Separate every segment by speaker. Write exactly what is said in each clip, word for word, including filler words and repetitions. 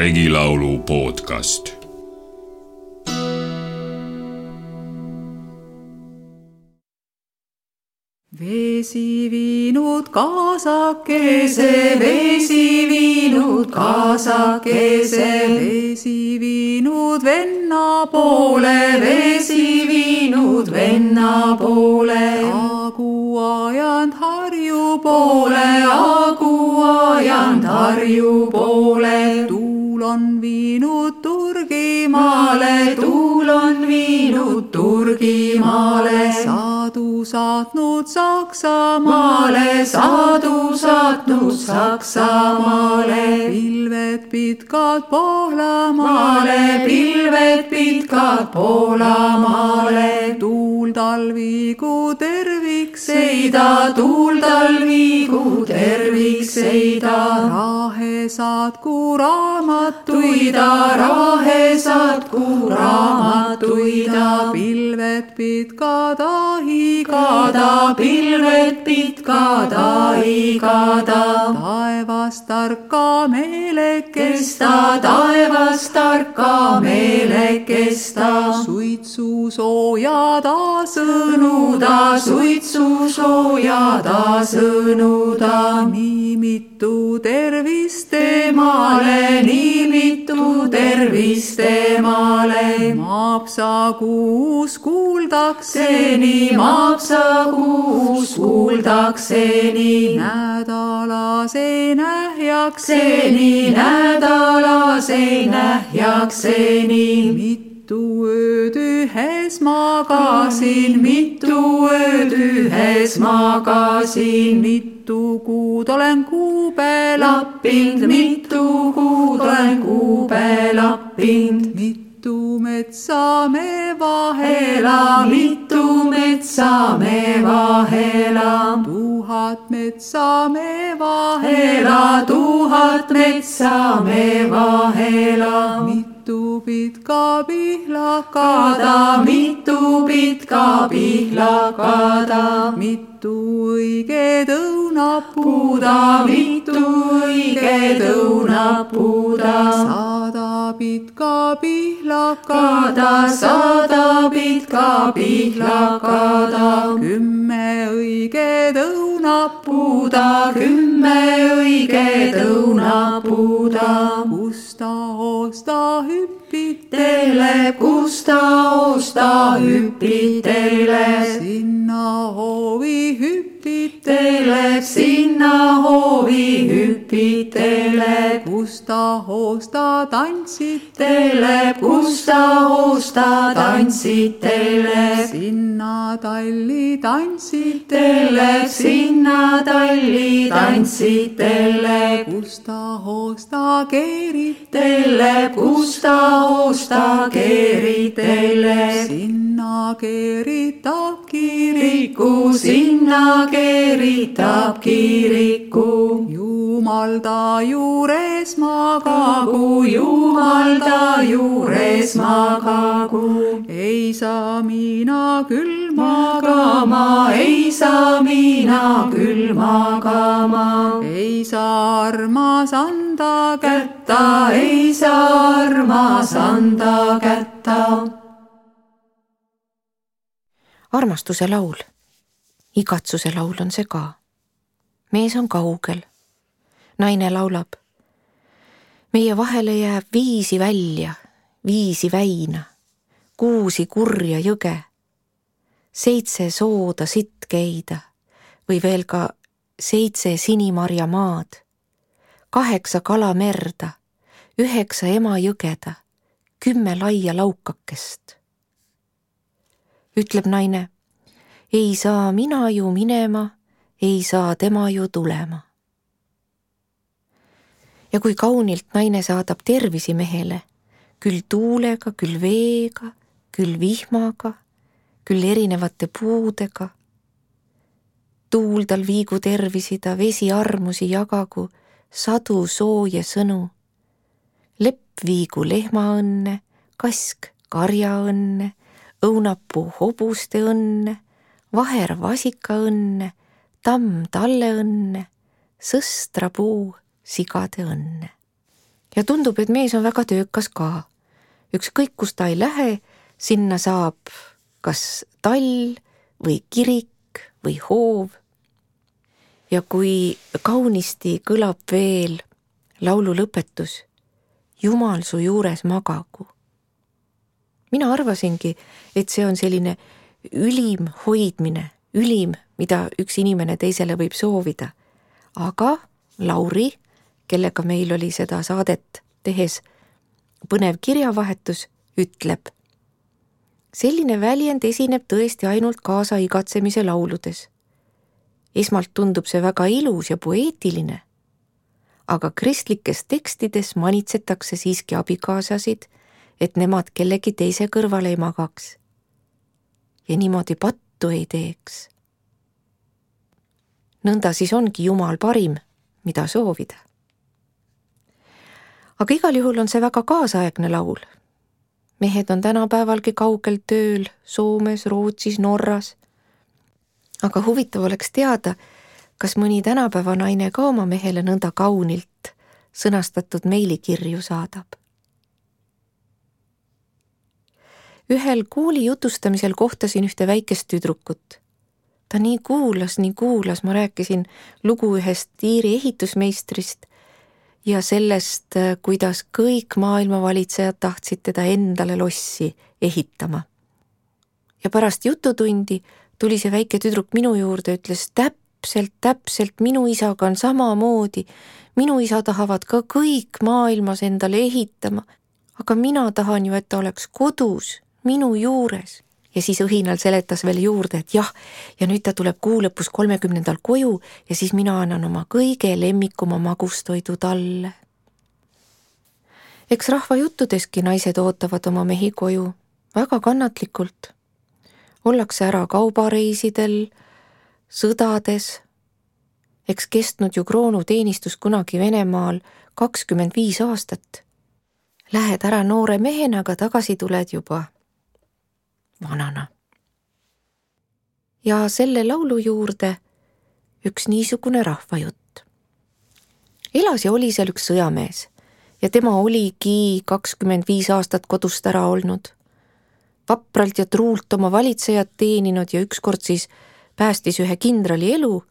Speaker 1: Regilaulu podcast.
Speaker 2: Vesi viinud kaasakese, vesi viinud kaasakese, vesi viinud venna poole, vesi viinud venna poole. Agu ajand Harju poole, agu ajand Harju poole. Tuul on viinud Turgimaale, tuul on viinud Turgimaale. Saadu saatnud Saksamaale, saadu saatnud Saksamaale. Pilved pitkad Poolamaale, pilved pitkad Poolamaale. Tuul talvigu tervikseida, tuul talvigu tervikseida. Rahe saatku raamatuida, rahe saatku raamatuida. Pilved pitkad ahigada, pilved pitkad ahigada. Taevas tarka meelekesta, taevas tarka meelekesta. Suitsu soojada sõnuda, suitsu soojada sõnuda. Nii mitu tervist temale, nii mitu tervist temale. Maapsa kuus kuuldakseni, maapsa kuus kuuldakseni. Nädalase nähjakseni, nädalase nähjakseni. Mitu ööd ühes magasin, mitu ööd ühes magasin. Mitu kuud olen kuube lappinud, mitu kuud olen kuube lappinud. Mitu metsa me vahela, mitu metsa me vahela. Tuhat metsa me vahela, tuhat metsa me vahela. Mitu pitka pihlakada, mitu pitka pihlakada. Mitu õiged õunapuuda, mitu õiged õunapuuda. Sada pitka pihlakada, sada pitka pihlakada. Kümme õiged õunapuuda, kümme õiged õunapuuda. Kus ta osta hüppitele, kus ta osta hüppitele. Sinna hoovi hüppitele, sinna hoovi hüppitele. Kus ta osta tantsitele, kus ta osta tantsitele. Sinna talli tantsitele, sinna talli tantsitele. Kus ta osta keeritele, kus ta osta keeritele. Sinna keeritab kiriku, sinna keeritab kiriku. Jumal ta juures magagu, Jumal ta juures magagu. Ei saa mina küll magama, ei saa mina küll magama. Ei saa armas anda kätta, ei saa armas anda kätta.
Speaker 3: Armastuse laul. Igatsuse laul on see ka. Mees on kaugel. Naine laulab. Meie vahele jääb viisi välja, viisi väina, kuusi kurja jõge, seitse sooda sitt keida või veel ka seitse sinimarja maad, kaheksa kala merda, üheksa ema jõgeda, kümme laia laukakest. Ütleb naine, ei saa mina ju minema, ei saa tema ju tulema. Ja kui kaunilt naine saadab tervisi mehele, küll tuulega, küll veega, küll vihmaga, küll erinevate puudega. Tuul tal viigu tervisida, vesi armusi jagagu, sadu sooje sõnu. Lepp viigu lehmaõnne, kask karjaõnne, õunapuu hobuste õnne, vaher vasika õnne, tamm talle õnne, sõstrapuu sigade õnne. ja tundub, et mees on väga töökas ka. Ükskõik, kus ta ei lähe, sinna saab kas tall või kirik või hoov. Ja kui kaunisti kõlab veel laulu lõpetus, Jumal su juures magagu. Mina arvasingi, et see on selline ülim hoidmine, ülim, mida üks inimene teisele võib soovida. Aga Lauri, kellega meil oli seda saadet tehes põnev kirjavahetus, ütleb: selline väljend esineb tõesti ainult kaasa igatsemise lauludes. Esmalt tundub see väga ilus ja poeetiline, aga kristlikes tekstides manitsetakse siiski abikaasasid, et nemad kellegi teise kõrvale ei magaks ja niimoodi pattu ei teeks. Nõnda siis ongi Jumal parim, mida soovida. Aga igal juhul on see väga kaasaegne laul. Mehed on tänapäevalgi kaugel tööl, Soomes, Rootsis, Norras. Aga huvitav oleks teada, kas mõni tänapäeva naine ka oma mehele nõnda kaunilt sõnastatud meilikirju saadab. Ühel kooli jutustamisel kohtasin ühte väikest tüdrukut. Ta nii kuulas, nii kuulas, ma rääkisin lugu ühest Iiri ehitusmeistrist ja sellest, kuidas kõik maailmavalitsejad tahtsid teda endale lossi ehitama. Ja pärast jututundi tuli see väike tüdruk minu juurde, ütles täpselt, täpselt minu isaga on samamoodi. Minu isa tahavad ka kõik maailmas endale ehitama, aga mina tahan ju, et ta oleks kodus, minu juures. Ja siis õhinal seletas veel juurde, et jah, ja nüüd ta tuleb kuu lõpus kolmekümnendal koju ja siis mina annan oma kõige lemmikuma magustoidu talle. Eks rahva juttudeski naised ootavad oma mehi koju väga kannatlikult. Ollakse ära kaubareisidel, sõdades. Eks kestnud ju kroonuteenistus kunagi Venemaal kakskümmend viis aastat. Lähed ära noore mehena, aga tagasi tuled juba vanana. Ja selle laulu juurde üks niisugune rahvajutt. Elas ja oli seal üks sõjamees ja tema oligi kakskümmend viis aastat kodust ära olnud. Vapralt ja truult oma valitsejat teeninud ja ükskord siis päästis ühe kindrali elu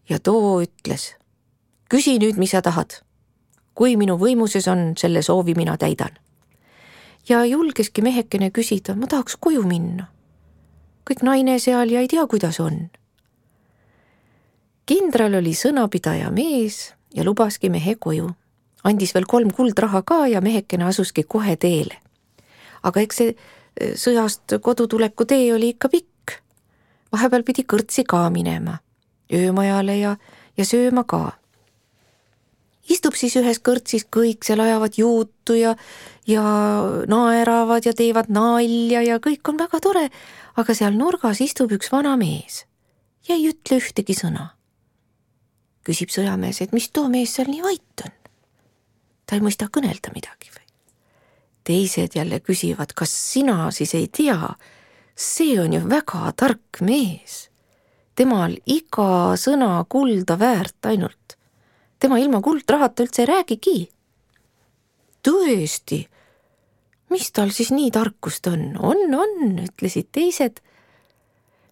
Speaker 3: ja too ütles: küsi nüüd, mis sa tahad. Kui minu võimuses on, selle soovi mina täidan. Ja julgeski mehekene küsida, ma tahaks koju minna. Kõik naine seal ja ei tea, kuidas on. Kindral oli sõnapidaja mees ja lubaski mehe koju. Andis veel kolm kuldraha ka ja mehekene asuski kohe teele. Aga eks see sõjast kodutuleku tee oli ikka pikk. Vahepeal pidi kõrtsi ka minema, öömajale ja, ja sööma ka. Istub siis ühes kõrtsis, kõik seal ajavad juutu ja, ja naeravad ja teevad nalja ja kõik on väga tore, aga seal nurgas istub üks vana mees ja ei ütle ühtegi sõna. Küsib sõjamees, et mis too mees seal nii vait on? Ta ei mõista kõnelda midagi või? Teised jälle küsivad, kas sina siis ei tea? See on ju väga tark mees. Temal iga sõna kulda väärt ainult. Tema ilma kuldrahata üldse ei räägigi. Tõesti, mis tal siis nii tarkust on? On, on, ütlesid teised.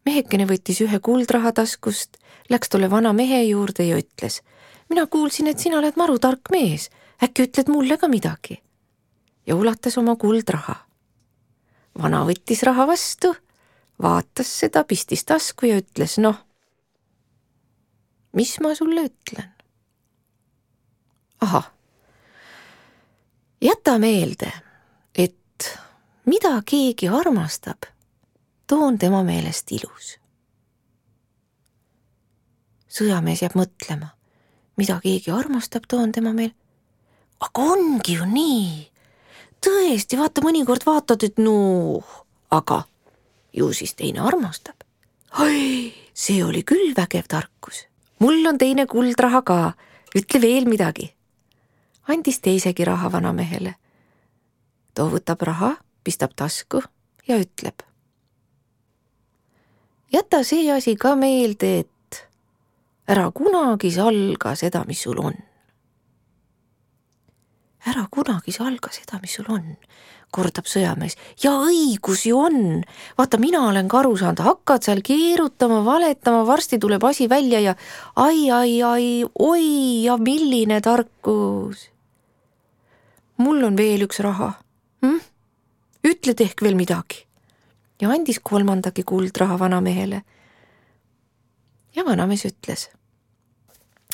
Speaker 3: Mehekene võttis ühe kuldraha taskust, läks tolle vana mehe juurde ja ütles: mina kuulsin, et sina oled maru tark mees, äkki ütled mulle ka midagi? Ja ulatas oma kuldraha. Vana võttis raha vastu, vaatas seda, pistis tasku ja ütles: noh, mis ma sulle ütlen? Aha, jäta meelde, et mida keegi armastab, too on tema meelest ilus. Sõjamees jääb mõtlema, mida keegi armastab, too on tema meel. Aga ongi ju nii. Tõesti, vaata, mõnikord vaatad, et no, aga ju siis teine armastab. Oi, see oli küll vägev tarkus. Mul on teine kuldraha ka, ütle veel midagi. Andis teisegi raha vanamehele. Too võtab raha, pistab tasku ja ütleb: jäta see asi ka meelde, et ära kunagi salga seda, mis sul on. ära kunagi salga seda, mis sul on, kordab sõjamees. Ja õigus ju on. Vaata, mina olen ka aru saanud, hakkad seal keerutama, valetama, varsti tuleb asi välja ja ai, ai, ai, oi ja milline tarkus. Mul on veel üks raha. Hm? Ütled ehk veel midagi. Ja andis kolmandagi kuldraha vanamehele. Ja vanamees ütles.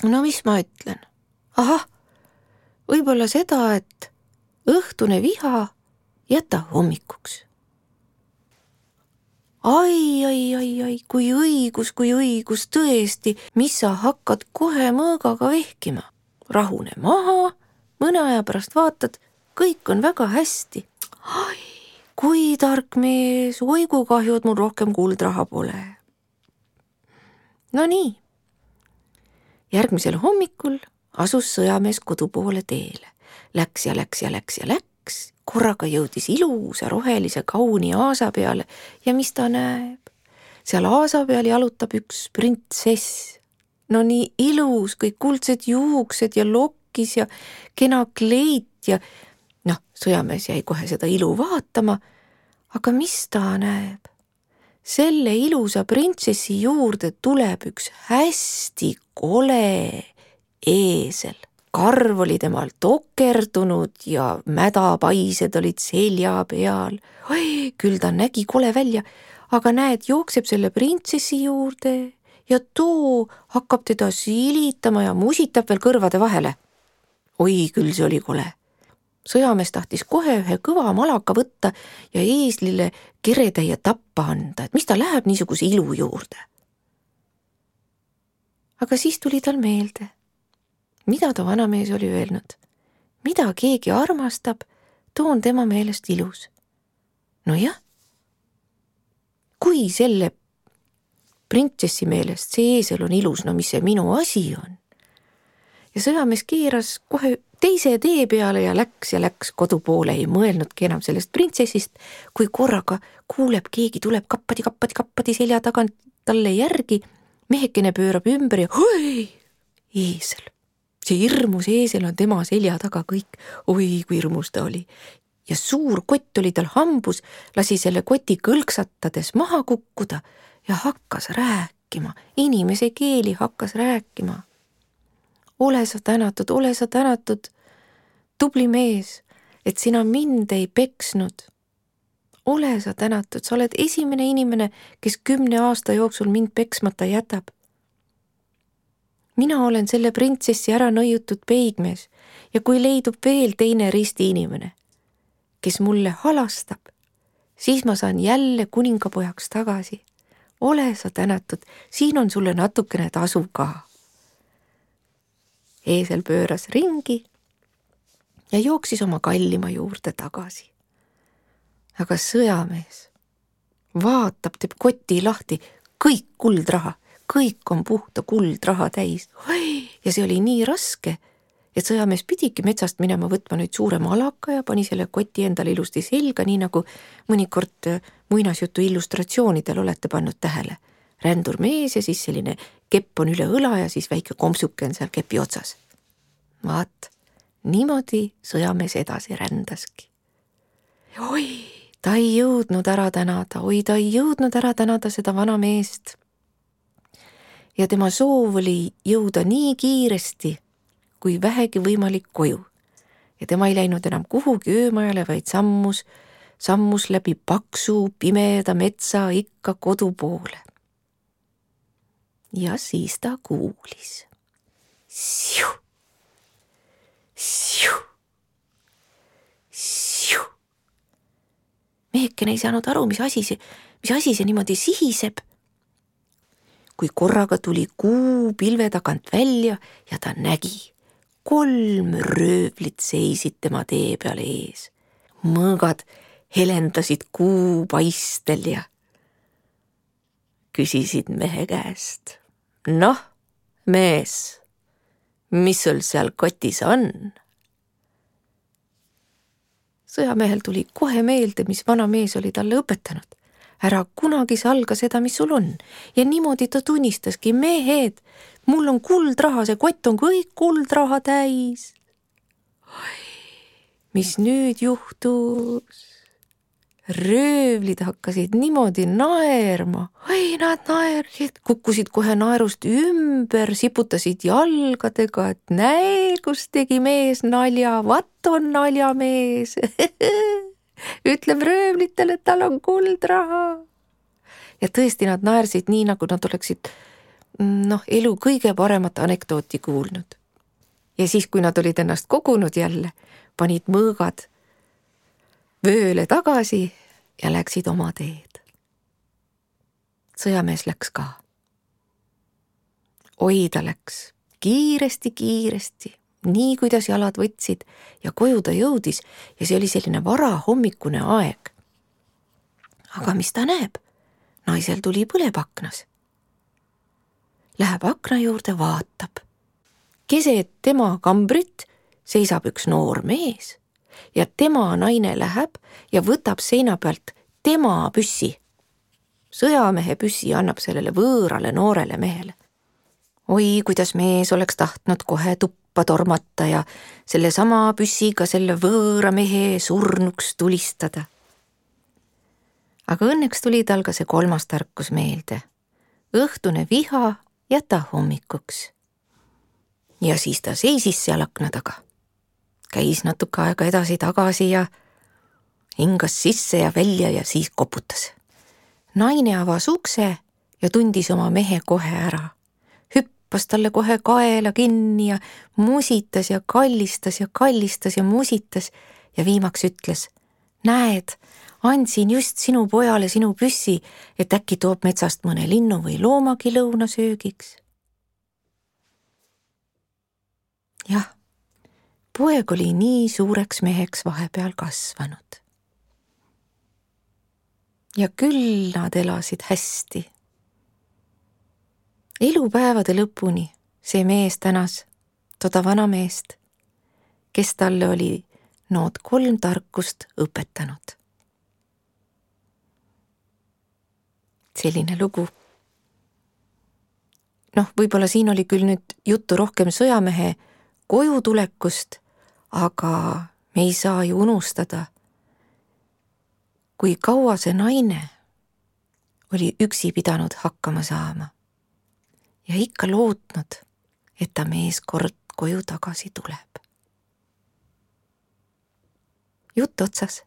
Speaker 3: No mis ma ütlen? Ahah, võib-olla seda, et õhtune viha jäta hommikuks. Ai, ai, ai, ai, kui õigus, kui õigus, tõesti, mis sa hakkad kohe mõõgaga vehkima. Rahune maha, mõne aja pärast vaatad, kõik on väga hästi. Ai, kui tark mees, oi kui kahju, et mul rohkem kuldraha pole. No nii. Järgmisel hommikul asus sõjamees kodu poole teele. Läks ja läks ja läks ja läks. Korraga jõudis ilusa rohelise kauni aasa peale ja mis ta näeb? Seal aasa peal jalutab üks printsess. No nii ilus, kõik kuldsed juuksed ja lokkis ja kena kleit ja noh, sõjamees jäi kohe seda ilu vaatama, aga mis ta näeb? Selle ilusa printsessi juurde tuleb üks hästi kole eesel. Karv oli temal tokerdunud ja mädapaised olid selja peal. Oi, küll ta nägi kole välja, aga näed, jookseb selle printsessi juurde ja too hakkab teda silitama ja musitab veel kõrvade vahele. Oi, küll see oli kole. Sõjamees tahtis kohe ühe kõva malaka võtta ja eeslile keretäie tappa anda, et mis ta läheb niisuguse ilu juurde. Aga siis tuli tal meelde, mida ta vanamees oli öelnud. Mida keegi armastab, too on tema meelest ilus. No jah, kui selle printsessi meelest see eesel on ilus, no mis see minu asi on? Ja sõjamees keeras kohe teise tee peale ja läks ja läks kodu poole, ei mõelnudki enam sellest printsessist, kui korraga kuuleb, keegi tuleb kappadi, kappadi, kappadi selja tagant talle järgi, mehekene pöörab ümber ja oi, eesel. See hirmus eesel on tema selja taga kõik. Oi, kui hirmus ta oli. Ja suur kott oli tal hambus, lasi selle koti kõlksatades maha kukkuda ja hakkas rääkima. Inimese keeli hakkas rääkima. Ole sa tänatud, ole sa tänatud, tubli mees, et sina mind ei peksnud. Ole sa tänatud, sa oled esimene inimene, kes kümne aasta jooksul mind peksmata jätab. Mina olen selle printsessi ära nõiutud peigmees ja kui leidub veel teine risti inimene, kes mulle halastab, siis ma saan jälle kuningapojaks tagasi. Ole sa tänatud, siin on sulle natukene tasu ka. Eesel pööras ringi ja jooksis oma kallima juurde tagasi. Aga sõjamees vaatab, teeb koti lahti, kõik kuldraha, kõik on puhta kuldraha täis. Ja see oli nii raske, et sõjamees pidigi metsast minema võtma nüüd suure malaka ja pani selle koti endale ilusti selga, nii nagu mõnikord muinasjutu illustratsioonidel olete pannud tähele. Rändur mees ja siis selline kepp on üle õla ja siis väike kompsuke on seal kepi otsas. Vaat, niimoodi sõjamees edasi rändaski. Oi, ta ei jõudnud ära tänada, oi, ta ei jõudnud ära tänada seda vana meest. Ja tema soov oli jõuda nii kiiresti, kui vähegi võimalik koju. Ja tema ei läinud enam kuhugi öömajale, vaid sammus, sammus läbi paksu, pimeda metsa ikka kodu poole. Ja siis ta kuulis. Siu, siu, siu. Mehekene ei saanud aru, mis asi see, mis asi see niimoodi sihiseb. Kui korraga tuli kuu pilve tagant välja ja ta nägi. Kolm röövlit seisid tema tee peal ees. Mõõgad helendasid kuu paistel ja küsisid mehe käest. Noh, mees, mis sul seal kotis on? Sõjamehel tuli kohe meelde, mis vana mees oli talle õpetanud. Ära kunagi salga seda, mis sul on. Ja niimoodi ta tunnistaski, mehed, mul on kuldraha, see kott on kõik kuldraha täis. Oi, mis nüüd juhtus? Röövlid hakkasid niimoodi naerma. Ai, nad naersid, kukkusid kohe naerust ümber, siputasid jalgadega, et näe, kus tegi mees nalja, vat on naljamees. Ütleb röövlitele, et tal on kuldraha. Ja tõesti nad naersid nii, nagu nad oleksid noh, elu kõige paremat anekdooti kuulnud. Ja siis, kui nad olid ennast kogunud jälle, panid mõõgad vööle tagasi ja läksid oma teed. Sõjamees läks ka. Oi, ta läks kiiresti, kiiresti, nii kuidas jalad võtsid ja koju ta jõudis ja see oli selline varahommikune aeg. Aga mis ta näeb? Naisel tuli põleb aknas. Läheb akna juurde, vaatab. Keset tema kambrit seisab üks noor mees ja tema naine läheb ja võtab seina pealt tema püssi. Sõjamehe püssi annab sellele võõrale noorele mehele. Oi, kuidas mees oleks tahtnud kohe tuppa tormata ja selle sama püssiga selle võõra mehe surnuks tulistada. Aga õnneks tuli tal ka see kolmas tarkus meelde. Õhtune viha jäta hommikuks. Ja siis ta seisis seal akna taga. Käis natuke aega edasi tagasi ja hingas sisse ja välja ja siis koputas. Naine avas ukse ja tundis oma mehe kohe ära. Hüppas talle kohe kaela kinni ja musitas ja kallistas ja kallistas ja musitas ja viimaks ütles, näed, andsin just sinu pojale sinu püssi, et äkki toob metsast mõne linnu või loomagi lõunasöögiks. Jah, poeg oli nii suureks meheks vahepeal kasvanud. Ja küll nad elasid hästi. Elupäevade lõpuni see mees tänas toda vana meest, kes talle oli nood kolm tarkust õpetanud. Selline lugu. Noh, võib-olla siin oli küll nüüd juttu rohkem sõjamehe koju tulekust, aga me ei saa ju unustada, kui kaua see naine oli üksi pidanud hakkama saama ja ikka lootnud, et ta mees kord koju tagasi tuleb. Jutt otsas.